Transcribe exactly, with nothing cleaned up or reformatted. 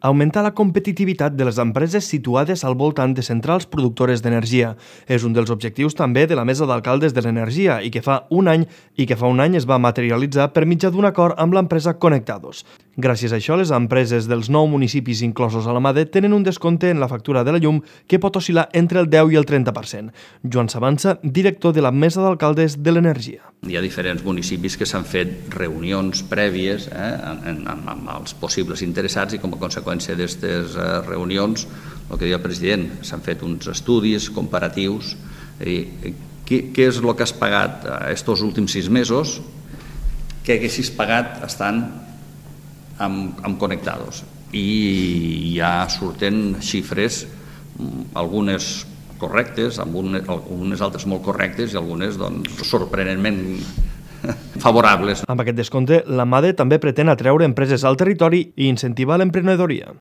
Augmentar la competitivitat de les empreses situades al voltant de centrals productores d'energia. És un dels objectius també de la Mesa d'Alcaldes de l'Energia i que fa un any i que fa un any es va materialitzar per mitjà d'un acord amb l'empresa Conectados. Gràcies a això, les empreses dels nou municipis inclosos a la MADE tenen un descompte en la factura de la llum que pot oscil·lar entre el deu i el trenta per cent. Joan Sabanza, director de la Mesa d'Alcaldes de l'Energia. Hi ha diferents municipis que s'han fet reunions prèvies eh, amb, amb, amb els possibles interessats i com a conseqüència d'aquestes eh, reunions, el que deia el president, s'han fet uns estudis comparatius. I, què, què és el que has pagat aquests últims sis mesos? Què haguessis pagat estant amb, amb Conectados? I ja surten xifres, algunes correctes, algunes altres molt correctes i algunes doncs, sorprenentment favorables. Amb aquest descompte, la MADE també pretén atreure empreses al territori i incentivar l'emprenedoria.